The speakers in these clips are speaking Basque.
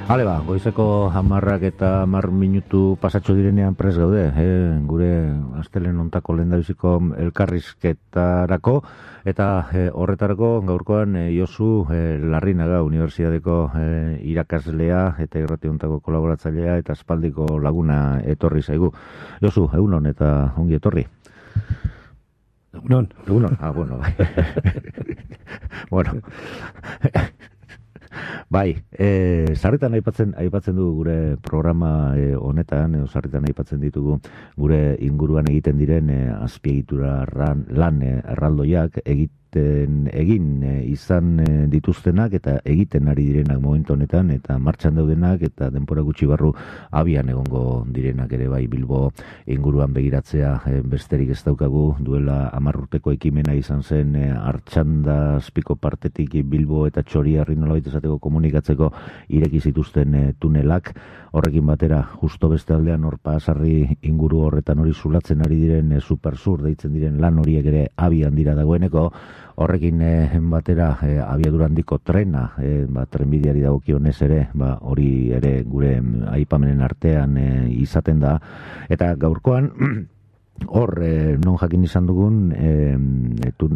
Hale ba, goizeko 10:10 pasatxo direnean prest gaude, gure astelen hontako lehendabiziko elkarrizketarako, eta horretarako gaurkoan Josu Larrinaga, Unibertsitateko irakaslea eta irrati hontako kolaboratzailea eta aspaldiko laguna etorri zaigu. Josu, egunon eta ongi etorri. Egunon. Bueno, bai. Bueno. Bai, sarritan aipatzen du gure programa honetan, sarritan aipatzen ditugu gure inguruan egiten diren azpiegitura lan erraldoiak egin izan dituztenak eta egiten ari direnak momentu honetan eta martxan daudenak eta denbora gutxi barru abian egongo direnak ere bai. Bilbo inguruan begiratzea besterik ez daukagu, duela 10 urteko ekimena izan zen Artxanda azpiko partetik Bilbo eta Txoriarri nolabait esateko komunikatzeko ireki zituzten tunelak, horrekin batera justo beste aldean hor Pasarri inguru horretan hori zulatzen ari diren supersur deitzen diren lan horiek ere abian dira dagoeneko. Horrekin batera abiadura handiko trena, trenbideari dagokionez ere, hori ere gure aipamenen artean izaten da. Eta gaurkoan, hor, non jakin izan dugun,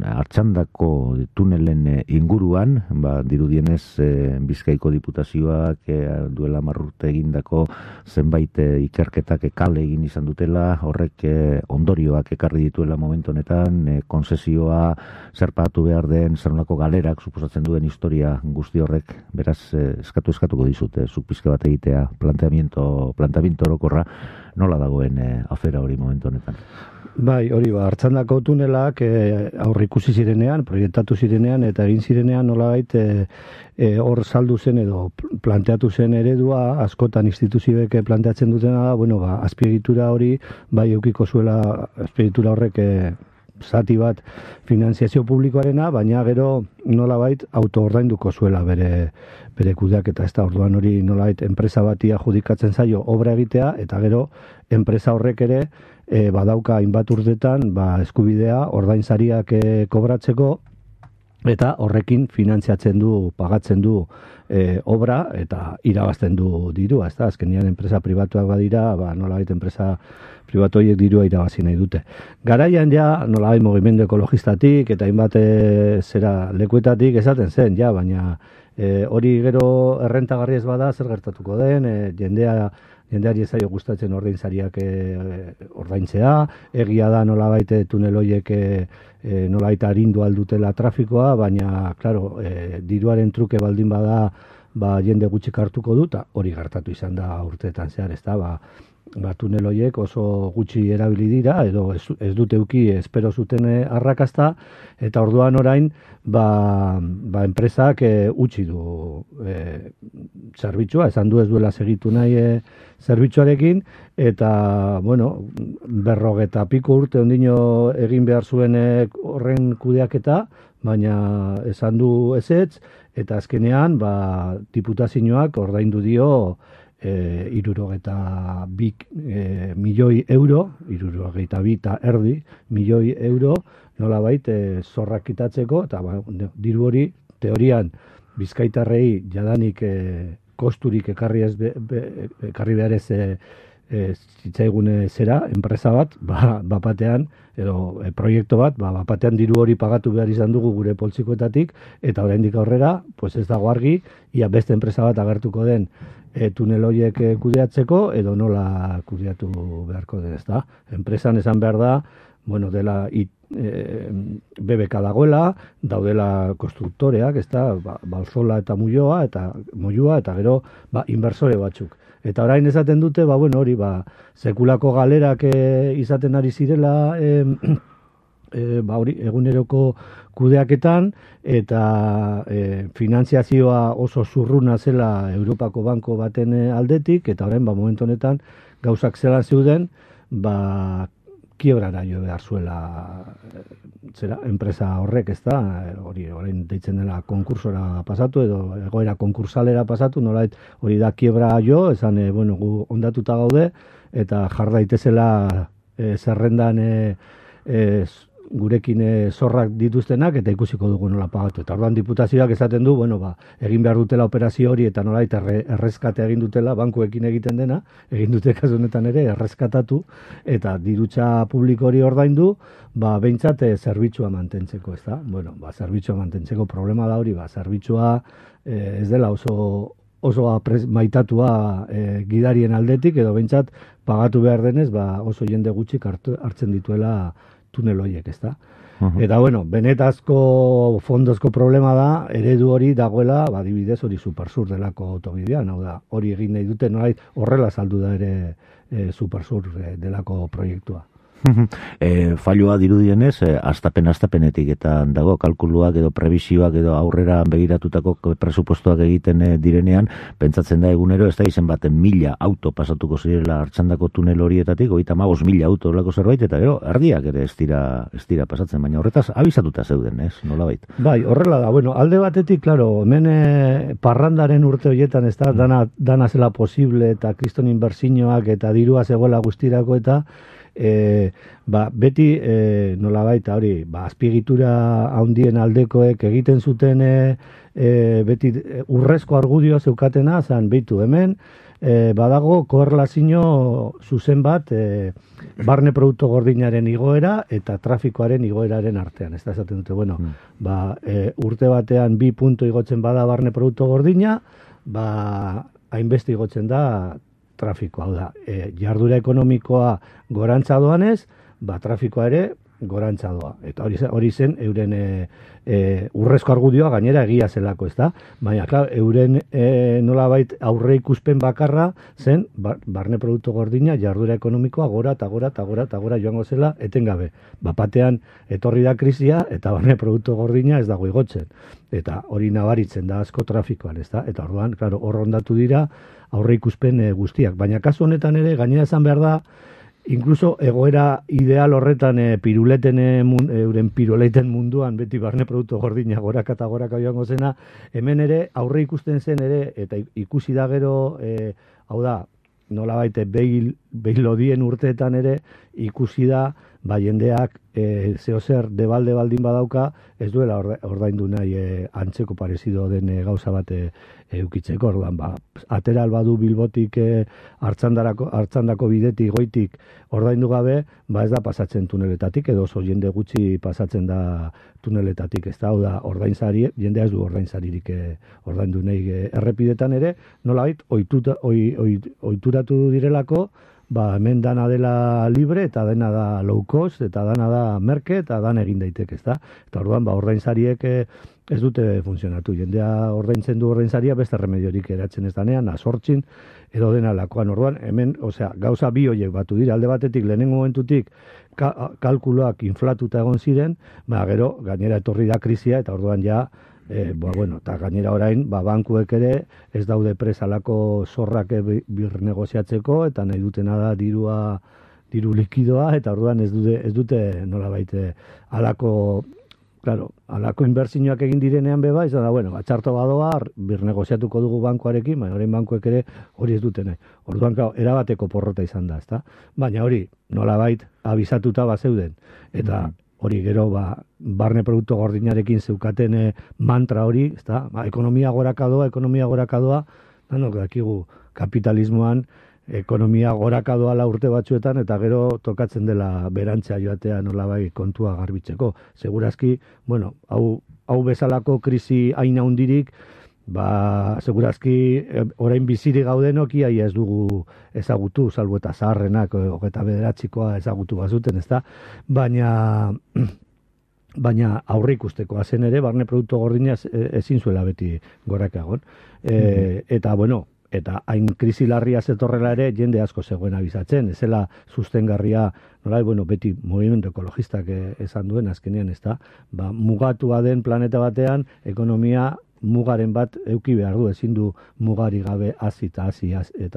Artxandako tunelen inguruan, dirudienez Bizkaiko Diputazioak duela 10 urte egindako zenbait ikerketak kale egin izan dutela, horrek ondorioak ekarri dituela momentu honetan, konzesioa zer pagatu behar den, zer nolako galerak suposatzen duen historia guzti horrek, beraz eskatuko dizute, zuk pizke bat egitea planteamiento orokorra, nola dagoen afera hori momentu honetan? Bai, hori Artxandako tunelak aurreikusi zirenean, proiektatu zirenean eta egin zirenean nolabait hor saldu zen edo planteatu zen eredua, askotan instituzioek planteatzen dutena da, azpiegitura hori bai edukiko zuela azpiegitura horrek zati bat finanziazio publikoarena, baina gero nolabait autoordainduko zuela bere kudeaketa, ez da, orduan hori nolabait enpresa bati adjudikatzen zaio obra egitea, eta gero enpresa horrek ere badauka hainbat urtetan eskubidea ordainsariak kobratzeko, eta horrekin finantziatzen du, pagatzen du obra eta irabazten du dirua, ez da, azkenean enpresa pribatuak badira, nolabait enpresa pribatu horiek dirua irabazi nahi dute. Garaian ja, nolabait mugimendu ekologistatik eta hainbat lekuetatik esaten zen, baina hori gero errentagarri ez bada zer gertatuko den, jendeari ez zaio gustatzen ordainsariak ordaintzea, egia da nolabait tunel horiek nolabait arindu aldutela trafikoa, baina, klaro, diruaren truke baldin bada jende gutxik hartuko dut, hori gertatu izan da urteetan zehar, ez da, tunel horiek oso gutxi erabili dira, edo ez dute euki espero zuten arrakasta, eta orduan orain, enpresak utzi du zerbitzua, esan du ez duela segitu nahi zerbitzuarekin, eta, 40 piko urte ondino egin behar zuen horren kudeaketa, baina esan du ezetz, eta azkenean, diputazioak ordaindu dio 62 milioi euro, 62,5 milioi euro, nolabait zorrak kitatzeko, eta diru hori teorian bizkaitarrei jadanik kosturik ekarri behar ez zitzaigune zera, enpresa bat, batean, edo proiektu bat, batean diru hori pagatu behar izan dugu gure poltsikoetatik, eta oraindik aurrera, ez dago argi, ia beste enpresa bat agertuko den tunel horiek kudeatzeko, edo nola kudeatu beharko den, ez da. Enpresan esan behar da, dela BBK dagoela, daudela konstruktoreak, ez da, Balsola eta Moyua, eta gero inversore batzuk. Eta orain esaten dute, hori, sekulako galerak izaten ari zirela eguneroko kudeaketan, eta finantziazioa oso zurruna zela Europako banko baten aldetik, eta orain, momentu honetan, gauzak zelan zeuden, kiebrara jo behar zuela enpresa horrek, ez da, hori orain deitzen dela konkursora pasatu, edo egoera konkursalera pasatu, nolait hori da kiebra jo, esan, gu ondatuta gaude, eta jar daitezela zerrendan gurekin zorrak dituztenak eta ikusiko dugu nola pagatu. Eta orduan diputazioak esaten du, bueno, egin behar dutela operazio hori eta nola eta errezkate egin dutela, bankuekin egiten dena, egin dute kasu honetan ere errezkatatu eta dirutza publiko hori ordaindu, behintzat zerbitzua mantentzeko, ez da? Bueno, zerbitzua mantentzeko problema da hori, zerbitzua ez dela oso maitatua gidarien aldetik, edo behintzat pagatu behar denez, oso jende gutxik hartzen dituela tunel horiek, ez da? Eta, bueno, benetazko fondozko problema da, eredu hori dagoela, adibidez hori Supersur delako autobidean, hau da, hori egin nahi dute, nolait horrela saldu da ere Supersur delako proiektua. Falloa dirudienez, astapenetik eta dago kalkuluak edo prebisioak edo aurrera begiratutako presupuestoak egiten direnean, pentsatzen da egunero ez da izen baten 1000 auto pasatuko zirela Artxandako tunel horietatik, 35.000 auto olako zerbait, eta gero, erdiak ere ez dira pasatzen, baina horretaz abizatuta zeuden, ez, nolabait? Bai, horrela da, bueno, alde batetik, klaro, hemen parrandaren urte horietan ez da, dana zela posible eta kriston inbertsioak eta dirua zegoela guztirako eta beti nolabait hori, azpiegitura handien aldekoek egiten zuten beti urrezko argudioa zeukatena, zan behitu hemen, badago korrelazio zuzen bat barne produktu gordinaren igoera eta trafikoaren igoeraren artean. Ez da esaten dute, bueno, urte batean 2 punto igotzen bada barne produktu gordina, hainbeste igotzen da trafikoa, hau da, jardura ekonomikoa gorantza doanez, trafikoa ere gorantza doa. Eta hori zen euren urrezko argudioa gainera egia zelako, ez da? Baina, klar, euren nolabait aurre ikuspen bakarra zen barne produktu gordina jardura ekonomikoa gora eta gora joango zela etengabe. Batean etorri da krisia eta barne produktu gordina ez dago igotzen. Eta hori nabaritzen da asko trafikoan, ez da? Eta orduan, klaro, hor ondatu dira aurre ikuspen guztiak. Baina kasu honetan ere, gainera esan behar da, inkluso egoera ideal horretan euren piroleten munduan beti barne produktu gordina goraka eta goraka joango zena, hemen ere aurre ikusten zen ere, eta ikusi da gero, hau da, nolabait behilodien urteetan ere, ikusi da, jendeak zehozer debalde baldin badauka, ez duela ordaindu nahi antzeko parezido den gauza bat eukitzeko, orduan, atera albadu Bilbotik hartzandako bidetik goitik ordaindu gabe, ez da pasatzen tuneletatik, edo oso jende gutxi pasatzen da tuneletatik, ez da, hau da, jendea ez du ordainsaririk ordaindu nahi errepidetan ere, nolabait, ohituratu direlako, hemen dana dela libre, eta dena da low cost, eta dana da merke, eta dan egin daiteke, ez da? Eta orduan, ordainsariek ez dute funtzionatu. Jendea ordaintzen du ordainsaria, beste remediorik eratzen ez danean, asortzin, edo dena lakoan. Orduan, hemen, gauza bi horiek batu dira, alde batetik, lehenengo momentutik, kalkuloak inflatuta egon ziren, gero, gainera etorri da krisia, eta orduan ja, eta gainera orain, bankuek ere ez daude presalako zorrak birnegoziatzeko, eta nahi dutena da diru likidoa, eta orduan ez dute nolabait alako inbertsioak egin direnean beba, izan da, txarto badoa, birnegoziatuko dugu bankuarekin, baina orain bankuek ere hori ez dute nahi. Orduan, erabateko porrota izan da, ezta? Baina hori, nolabait abizatuta zeuden, eta hori gero, barne produktu gordinarekin zeukaten mantra hori, ezta? Ekonomia gorakadoa, danok dakigu kapitalismoan, ekonomia gorakadoa urte batzuetan, eta gero tokatzen dela berantzea joatea nolabai kontua garbitzeko. Segurazki, hau bezalako krisi hain handirik, segurazki orain biziri gaudenok ia ez dugu ezagutu, salbu eta zaharrenak, 29koa ezagutu bazuten, ezta? Baina aurre ikustekoa zen ere, barne produktu gordina ezin zuela beti gorakagon. Eta hain krisi larria zetorrela ere, jende asko zegoen abizatzen, ezela sustengarria, beti movimendu ekologistak esan duen azkenean, ezta? Mugatua den planeta batean, ekonomia mugaren bat euki behar du, ezin du mugari gabe hazi eta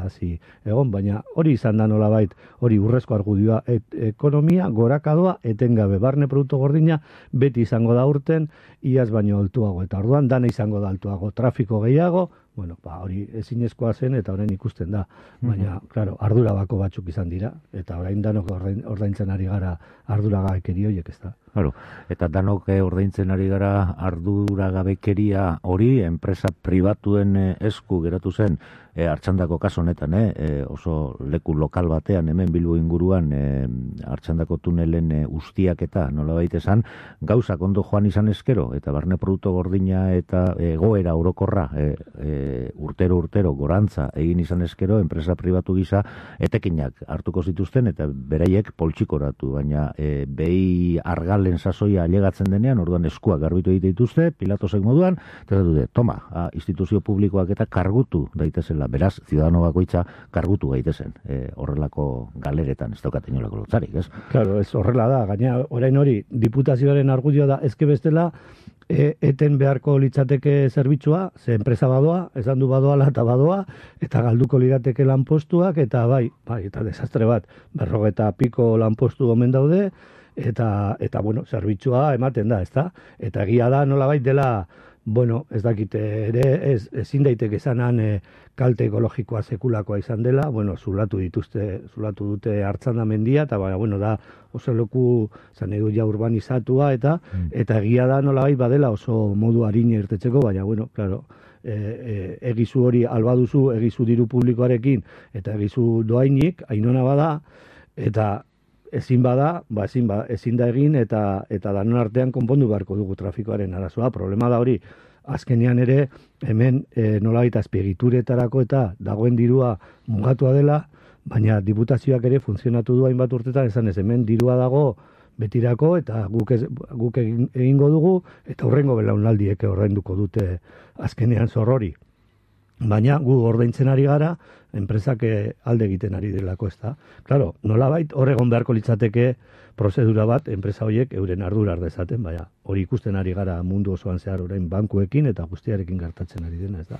hazi egon, baina hori izan da nolabait, hori urrezko argudioa, ekonomia gorakadoa etengabe, barne produktu gordina beti izango da urten, iaz baino altuago, eta orduan dana izango da altuago, trafiko gehiago, Bueno, hori ezinezkoa zen eta orain ikusten da. Baina, claro, ardurabako batzuk izan dira, eta orain danok ordaintzen ari gara arduragabekeri horiek, ez da. Claro, eta danok ordaintzen ari gara arduragabekeria hori enpresa pribatuen esku geratu zen, Artxandako kaso honetan, oso leku lokal batean, hemen Bilbo inguruan, Artxandako tunelen ustiak eta nolabait esan, gauzak ondo joan izan eskero, eta barne produktu gordina eta egoera orokorra urtero gorantza egin izan eskero, enpresa pribatu gisa etekinak hartuko zituzten, eta beraiek poltsikoratu, baina behi argalen sasoia alegatzen denean, orduan eskuak garbitu egite dituzte, Pilatosek moduan, eta dute, toma, instituzio publikoak eta kargutu daitezela, beraz, ziudadano bakoitza kargutu gaitezen, horrelako galeretan, ez daukat inolako lotzarik, ez? Claro, ez horrela da, gaina orain hori, diputazioaren argudioa da, ezke bestela, eten beharko litzateke zerbitzua, ze enpresa badoa, esan du badoala eta badoa, eta galduko lirateke lanpostuak, eta bai, eta desastre bat, 50 piko lanpostu omen daude, eta bueno, zerbitzua ematen da, ezta? Eta egia da nolabait dela, bueno, ez dakite ere, ezin daiteke esanan kalte ekologikoa sekulakoa izan dela, bueno, zulatu dute Artzanda mendia, eta bueno, da oso leku, zan edo ja urbanizatua, eta egia da nolabait badela oso modu arina irtetzeko, baina, bueno, claro, egizu hori albaduzu, egizu diru publikoarekin, eta egizu doainik, ainona bada, eta ezin bada, ezin da egin, eta danon artean konpondu beharko dugu trafikoaren arazoa. Problema da hori, azkenean ere, hemen nolabait azpiegituretarako eta dagoen dirua mugatua dela, baina diputazioak ere funtzionatu du hainbat urtetan, esan ez, hemen dirua dago betirako, eta guk egingo dugu, eta hurrengo belaunaldiek ordainduko dute azkenean zorrori. Baina gu ordaintzen ari gara, enpresak alde egiten ari delako, ez da. Claro, nolabait horregon beharko litzateke prozedura bat, enpresa horiek euren ardura dezaten, baina hori ikusten ari gara mundu osoan zehar orain bankuekin eta guztiarekin gertatzen ari dena, ez da.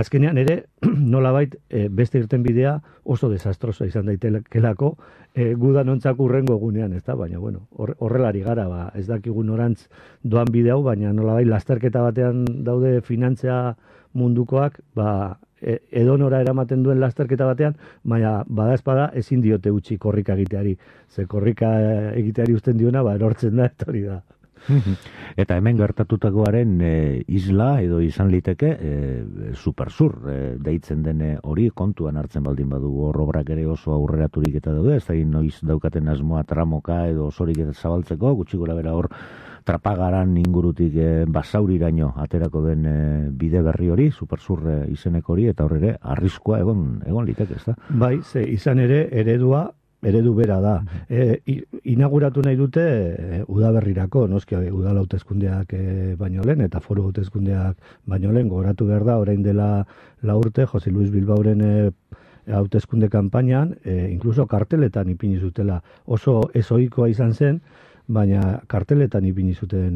Azkenean ere, nolabait beste irten bidea oso desastrosa izan daitekelako, gudanontzak urrengo egunean, ez da, baina bueno, horrelari gara, ez dakigun orantz doan bide hau, baina nolabait lasterketa batean daude finantzia mundukoak, edonora eramaten duen lasterketa batean, baina bada ezin diote utzi korrika egiteari. Ze korrika egiteari uzten diona, erortzen da, eta hori da. Eta hemen gertatutakoaren isla edo izan liteke supersur deitzen den hori kontuan hartzen baldin badugu, hor obrak ere oso aurreraturik eta daude, ez da noiz daukaten asmoa tramoka edo osorik eta zabaltzeko, gutxi gora bera hor Trapagaran ingurutik basauriraino aterako den bide berri hori, supersur izeneko hori, eta horre arriskua egon liteke, ez da? Bai, ze izan ere eredu bera da. Inauguratu nahi dute udaberrirako, noski udal hauteskundeak baino lehen, eta foru hauteskundeak baino lehen, gogoratu behar da, orain dela 4 urte, Jose Luis Bilbaoren hauteskunde kanpainan, inkluso karteletan ipini zutela, oso ezoikoa izan zen, baina karteletan ipini zuten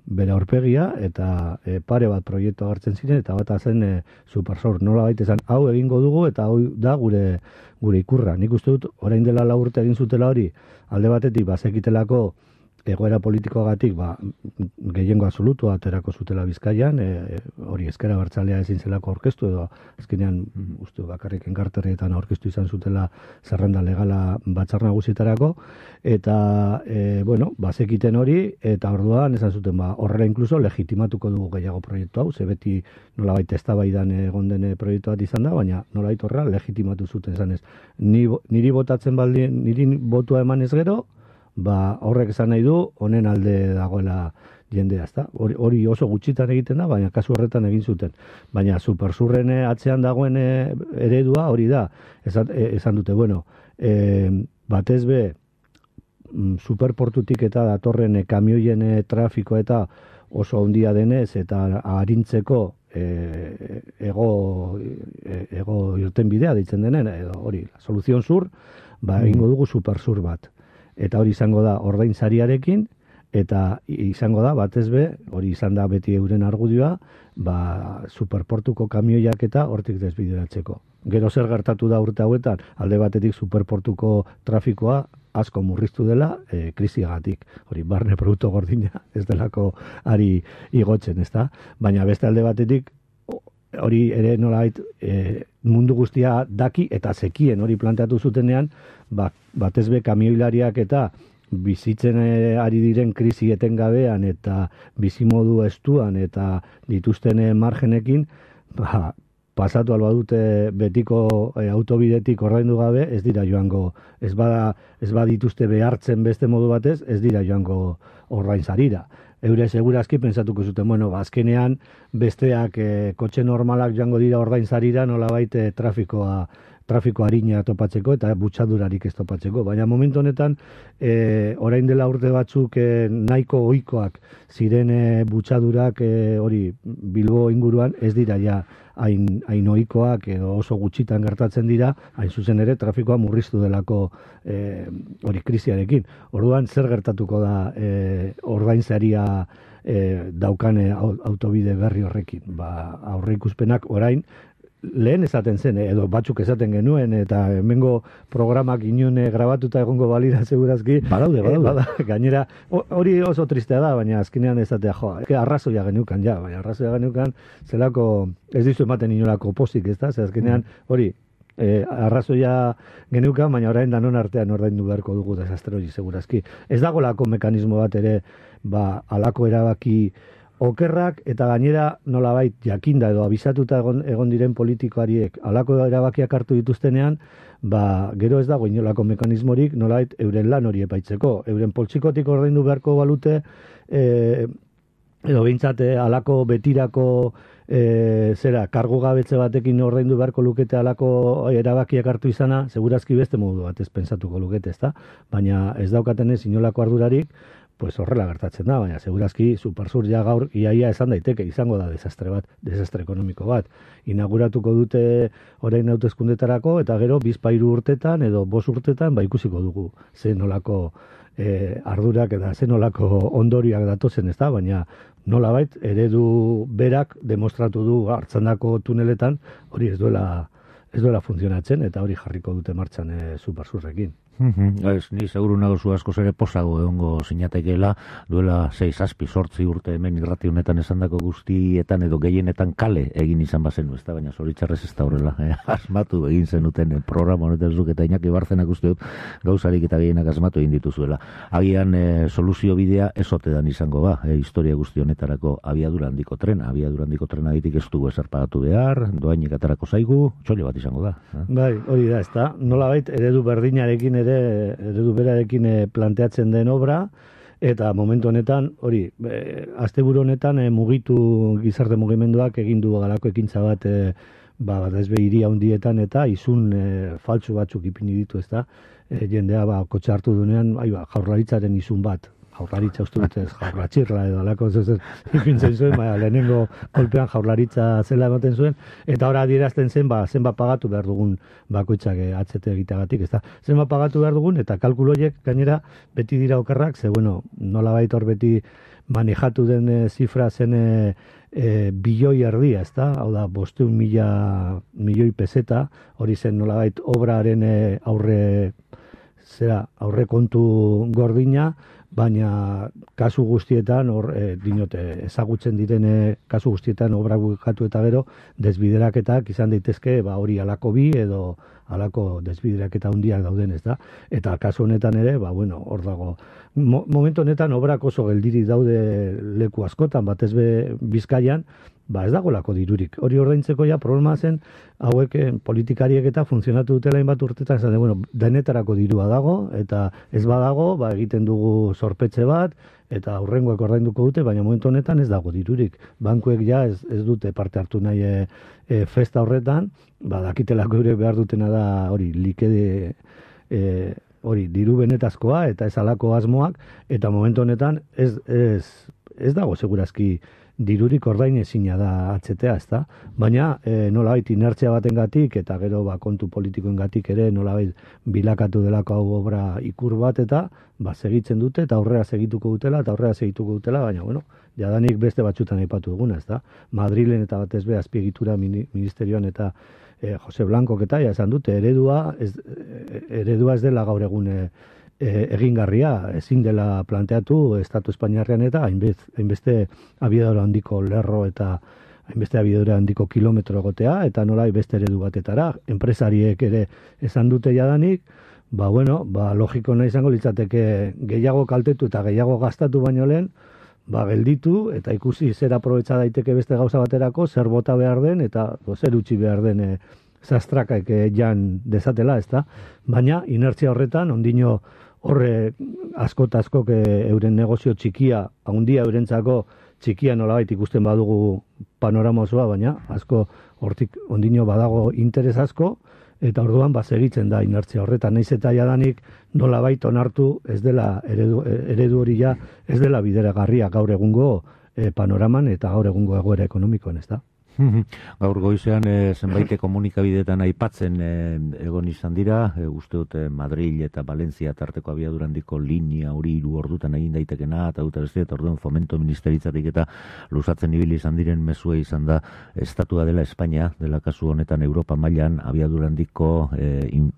bere aurpegia, eta pare bat proiektu hartzen ziren, eta bat zen supersor, nola baita esan, hau egingo dugu, eta hau da gure ikurra. Nik uste dut, orain dela 4 urte egin zutela hori, alde batetik bazekitelako egoera politikoagatik gehiengo absolutua aterako zutela Bizkaian, hori ezkera abertzalea ezin zelako aurkeztu, edo azkenean uste bakarrik enkarterrietan aurkeztu izan zutela zerrenda legala batzar nagusietarako, eta bueno, bazekiten hori, eta orduan esan zuten horrela inkluso legitimatuko dugu gehiago proiektu hau, ze beti nolabait eztabaidan egon den proiektu bat izan da, baina nolabait horrela legitimatu zuten esan ez. Niri botatzen baldin, niri botua eman ez gero, horrek esan nahi du, honen alde dagoela jendea, ezta? Hori oso gutxitan egiten da, baina kasu horretan egin zuten. Baina supersurren atzean dagoen eredua hori da. Esan dute, bueno, batez be, superportutik eta datorren kamioien trafikoa eta oso handia denez, eta arintzeko ego irten bidea deitzen denen, hori, soluzion zur, egingo dugu supersur bat. Eta hori izango da ordainsariarekin, eta izango da, batez be, hori izan da beti euren argudioa, superportuko kamioiak eta hortik desbideratzeko. Gero zer gertatu da urte hauetan, alde batetik superportuko trafikoa asko murriztu dela krisiagatik. Hori, barne produktu gordina ez delako ari igotzen, ezta? Baina beste alde batetik, hori ere nolabait mundu guztia daki eta zekien hori planteatu zutenean, batez be kamioilariak eta bizitzen ari diren krisi etengabean eta bizimodu estuan eta dituzten margenekin, pasatu alba dute betiko autobidetik ordaindu gabe, ez dira joango, ez badituzte behartzen beste modu batez, ez dira joango ordainzarira. Eure segurazki pentsatuko zuten, bueno, azkenean besteak kotxe normalak joango dira ordainzarira, nolabait trafiko harina topatzeko eta butxadurarik ez topatzeko. Baina momentu honetan, orain dela urte batzuk nahiko ohikoak ziren butxadurak hori Bilbo inguruan ez dira ja hain ohikoak edo oso gutxitan gertatzen dira, hain zuzen ere trafikoa murriztu delako hori krisiarekin. Orduan zer gertatuko da ordainsaria daukane autobide berri horrekin? Aurreikuspenak orain lehen esaten zen, edo batzuk esaten genuen, eta hemengo programak inon grabatuta egongo balira segurazki. Badaude. Gainera, hori oso tristea da, baina azkenean esatea, arrazoia geneukan, zelako, ez dizu ematen inolako pozik, ez da? Azkenean, hori, arrazoia geneukan, baina orain danon artean ordaindu beharko dugu desastre hori segurazki. Ez dagolako mekanismo bat ere, alako erabaki okerrak eta gainera nolabait jakinda edo abisatuta egon diren politikoariek alako erabakiak hartu dituztenean, gero ez dago inolako mekanismorik nolabait euren lan hori epaitzeko. Euren poltsikotik ordaindu beharko balute, edo behintzat alako betirako kargu gabetze batekin ordaindu beharko lukete alako erabakiak hartu izana, segurazki beste modu batez pentsatuko lukete, ezta? Baina ez daukatenez inolako ardurarik, pues horrela gertatzen da, baina segurazki Supersur ja gaur iaia esan daiteke, izango da desastre ekonomiko bat. Inauguratuko dute orain hauteskundetarako eta gero 2-3 urtetan edo 5 urtetan ikusiko dugu ze nolako ardurak eta ze nolako ondorioak datozen, ez da, baina nolabait eredu berak demostratu du Artzandako tuneletan hori ez duela funtzionatzen eta hori jarriko dute martxan Supersurrekin. Ni seguru nago zu askoz ere posago egongo sinatekeela, duela 6-8 urte hemen irrati honetan esandako guztietan edo gehienetan kale egin izan bazenu, ez da, baina zoritxarrez ez da horrela. Asmatu egin zenuten programa honetan zuk eta Iñaki Barzenak uste dut gauzarik eta gehienak asmatu egin dituzuela. Agian soluzio bidea ez otedan izango historia guzti honetarako abiadura handiko trena ditik ez dugu esarpagatu behar, doainik atarako zaigu, txollo bat izango da. Bai, hori da, ez da, nolabait eredu berdinarekin eredu berarekin planteatzen den obra, eta momentu honetan, hori, asteburu honetan mugitu gizarte mugimenduak egin du galako ekintza bat, ez behiri handietan eta izun faltsu batzuk ipini ditu, ez da, jendea kotxe hartu dunean, jaurlaritzaren izun bat, jaurlaritza uste dut ez, jaurlatxirla edo alako ipintzen zuen, lehenengo kolpean jaurlaritza zela ematen zuen, eta ora adierazten zen, zenbat pagatu behar dugun bakoitzak atzete egiteagatik, ez da, zenbat pagatu behar dugun, eta kalkuloiek gainera beti dira okerrak, ze bueno, nolabait hor beti manejatu den zifra zen bilioi erdia, ez da, hau da, 500.000 milioi peseta, hori zen nolabait obraren aurre kontu gordina, baina kasu guztietan ezagutzen diren kasu guztietan obra bukatu eta gero desbideraketak izan daitezke hori alako bi edo alako desbideraketa handiak dauden, ez da, eta kasu honetan ere hor dago momentu honetan obrak oso geldirik daude leku askotan, batez be Bizkaian, ez dagolako dirurik. Hori ordaintzeko problema zen, hauek politikariek eta funtzionatu dutela hainbat urtetan, esan denetarako dirua dago, eta ez badago, egiten dugu zorpetxe bat, eta aurrengoak ordainduko dute, baina momentu honetan ez dago dirurik. Bankuek ez dute parte hartu nahi festa horretan, dakitelako eurek behar dutena da hori likede hori diru benetazkoa eta ez alako asmoak, eta momentu honetan ez dago segurazki dirurik ordain ezina da atzetea, ez da? Baina nolabait inertzia batengatik eta gero kontu politikoengatik ere nolabait bilakatu delako hau obra ikur bat eta segitzen dute eta aurrera segituko dutela, baina jadanik beste batzutan aipatu duguna, ez da? Madrilen eta batez be azpiegitura ministerioan eta Jose Blancok eta esan dute eredua ez dela gaur egun egingarria, ezin dela planteatu Estatu Espainiarrean eta hainbeste abiadura handiko lerro eta hainbeste abiadura handiko kilometro egotea, eta nola beste eredu batetara, enpresariek ere esan dute jadanik, logiko nahi izango litzateke gehiago kaltetu eta gehiago gastatu baino lehen, gelditu eta ikusi zer aprobetxa daiteke beste gauza baterako, zer bota behar den eta zer utzi behar den zastrakaik jan dezatela, ezta? Baina inertzia horretan, ondino horre asko eta askok euren negozio txikia, handia eurentzako txikia nolabait ikusten badugu panorama osoa, baina asko hortik ondino badago interes asko, eta orduan segitzen da inertzia horretan, naiz eta jadanik nolabait onartu ez dela eredu hori ja ez dela bideragarria gaur egungo panoraman eta gaur egungo egoera ekonomikoan, ez da? Gaur goizean zenbait komunikabideetan aipatzen egon izan dira, uste dut Madrid eta Valencia tarteko abiadurandiko linea hori 3 ordutan egin daitekena, eta dut beste, eta orduan fomento ministeritzatik eta luzatzen ibili izan diren mezua izan da, estatua dela Espainia, dela kasu honetan Europa mailan abiadurandiko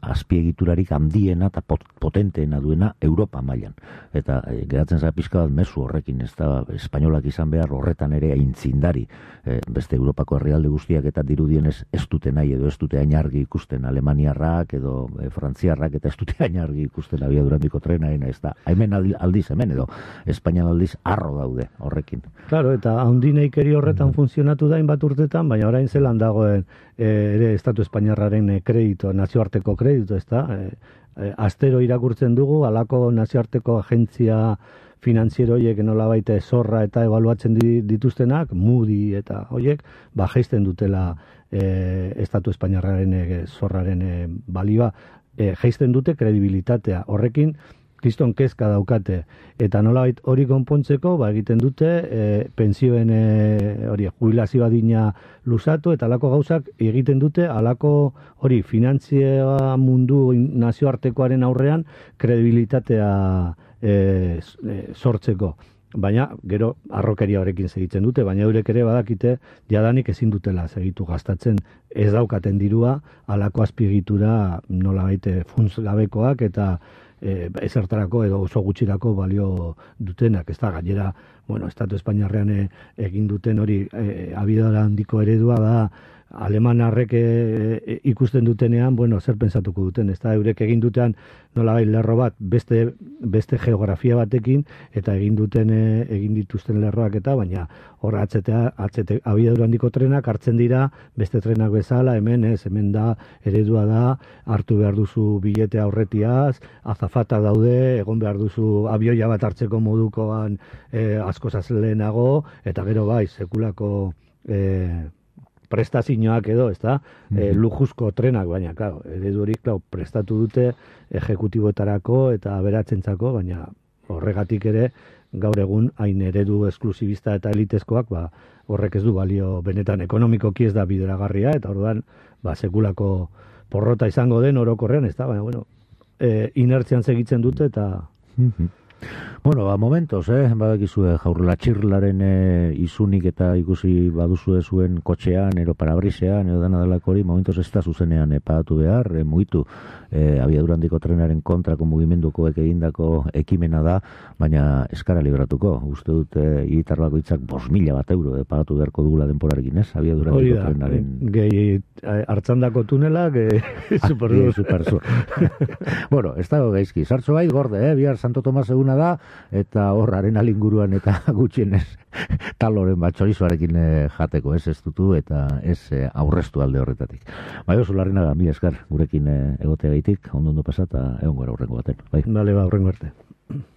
azpiegiturarik handiena eta potenteena duena Europa mailan. Eta geratzen zara pixka bat mezu horrekin, ez da espainolak izan behar horretan ere aintzindari, beste Europako herrialde guztiak eta dirudienez ez dute nahi edo ez dute ainargi ikusten alemaniarrak edo frantziarrak eta ez dute ainargi ikusten abiadurandiko trenaena, ez da hemen aldiz hemen edo Espainian aldiz harro daude horrekin. Claro, eta handineikeri horretan funtzionatu da hainbat urtetan, baina orain zelan dagoen ere Estatu Espainiarraren kredito, nazioarteko kredito, ez da? Astero irakurtzen dugu, halako nazioarteko agentzia finantziero horiek nolabait zorra eta ebaluatzen dituztenak, Moody eta horiek, jaisten dutela Estatu Espainiarraren zorraren balioa, jaisten dute kredibilitatea. Horrekin, kriston kezka daukate. Eta nolabait hori konpontzeko, egiten dute pentsioen jubilazio adina luzatu, eta halako gauzak egiten dute halako hori finantzia mundu nazioartekoaren aurrean kredibilitatea sortzeko. Baina, gero, arrokeria horrekin segitzen dute, baina eurek ere badakite, jadanik ezin dutela segitu gastatzen, ez daukaten dirua, halako azpiegitura nolabait funts gabekoak eta ezertarako edo oso gutxirako balio dutenak, ez da, gainera, Estatu Espainiarrean egin duten hori abiadura handiko eredua da, alemanarrek ikusten dutenean, zer pentsatuko duten, ez da, eurek egin dutean nolabait lerro bat beste geografia batekin, eta egin dituzten lerroak eta, baina hor abiadura handiko trenak hartzen dira, beste trenak bezala, hemen da, eredua da, hartu behar duzu bilete aurretiaz, azafata daude, egon behar duzu abioia bat hartzeko modukoan askozaz lehenago, eta gero sekulako prestazioak edo, ez da, lujuzko trenak, baina, eredu hori, prestatu dute ejekutiboetarako eta aberatzentzako, baina horregatik ere, gaur egun hain eredu esklusibista eta elitezkoak, horrek ez du balio benetan ekonomikoki ez da bideragarria, eta orduan, sekulako porrota izango den orokorrean, ez da, baina, inertzian segitzen dute, eta... Momentos, badakizue jaurlatxirlaren izunik eta ikusi baduzue zuen kotxean, ero parabrisean, edo dana delako hori, momentos ez da zuzenean pagatu behar, mugitu abiadurandiko trenaren kontrako mugimendukoek egindako ekimena da, baina eskara libratuko. Uste dut hiritar bakoitzak 5.000 euro pagatu beharko dugula denporarekin, ez? Abiadurandiko trenaren... Gehi hartzandako tunelak, superzur. Ez dago gaizki. Sartzo bait gorde, bihar Santo Tomas eguna da, eta horraren alinguruan eta gutxienez taloren bat txorizoarekin jateko, ez dutu eta ez aurreztu alde horretatik. Josu Larrinaga, mila esker gurekin egotea gaitik, ondo pasata, egon gara horrengo baten. Bale, horrengo arte.